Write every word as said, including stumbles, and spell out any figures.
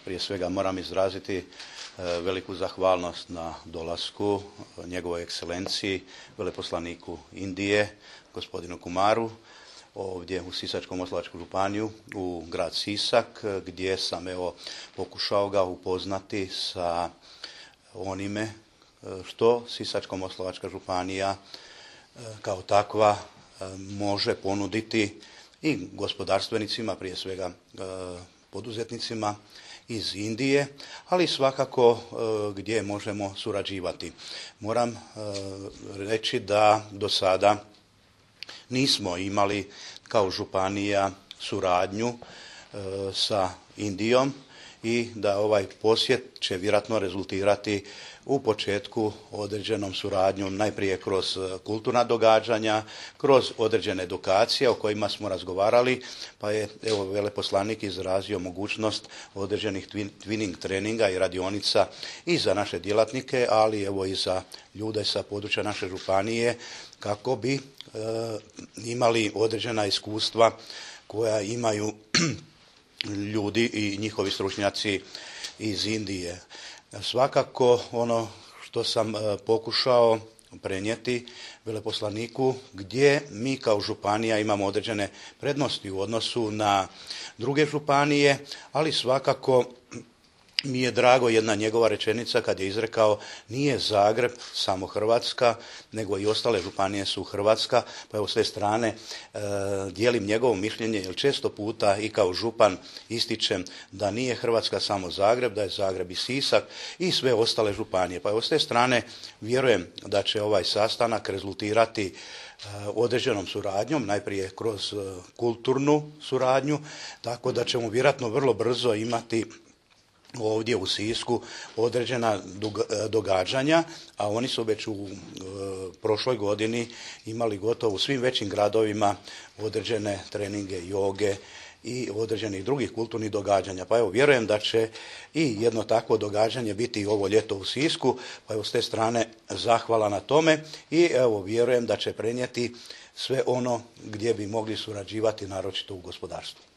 prije svega moram izraziti veliku zahvalnost na dolasku njegovoj ekscelenciji, veleposlaniku Indije, gospodinu Kumaru, ovdje u Sisačko-moslavačku županiju, u grad Sisak, gdje sam evo pokušao ga upoznati sa onime što Sisačko-moslavačka županija kao takva može ponuditi i gospodarstvenicima, prije svega poduzetnicima iz Indije, ali svakako gdje možemo surađivati. Moram reći da do sada nismo imali kao županija suradnju sa Indijom i da ovaj posjet će vjerojatno rezultirati u početku određenom suradnjom, najprije kroz kulturna događanja, kroz određene edukacije o kojima smo razgovarali, pa je evo veleposlanik izrazio mogućnost određenih twinning treninga i radionica i za naše djelatnike, ali evo i za ljude sa područja naše županije kako bi e, imali određena iskustva koja imaju ljudi i njihovi stručnjaci iz Indije. Svakako ono što sam pokušao prenijeti veleposlaniku, gdje mi kao županija imamo određene prednosti u odnosu na druge županije, ali svakako mi je drago jedna njegova rečenica kad je izrekao nije Zagreb samo Hrvatska, nego i ostale županije su Hrvatska, pa evo s te strane e, dijelim njegovo mišljenje, jer često puta i kao župan ističem da nije Hrvatska samo Zagreb, da je Zagreb i Sisak i sve ostale županije. Pa evo s te strane vjerujem da će ovaj sastanak rezultirati e, određenom suradnjom, najprije kroz e, kulturnu suradnju, tako da ćemo vjerojatno vrlo brzo imati ovdje u Sisku određena događanja, a oni su već u e, prošloj godini imali gotovo u svim većim gradovima određene treninge joge i određenih drugih kulturnih događanja. Pa evo, vjerujem da će i jedno takvo događanje biti ovo ljeto u Sisku, pa evo s te strane zahvala na tome i evo vjerujem da će prenijeti sve ono gdje bi mogli surađivati, naročito u gospodarstvu.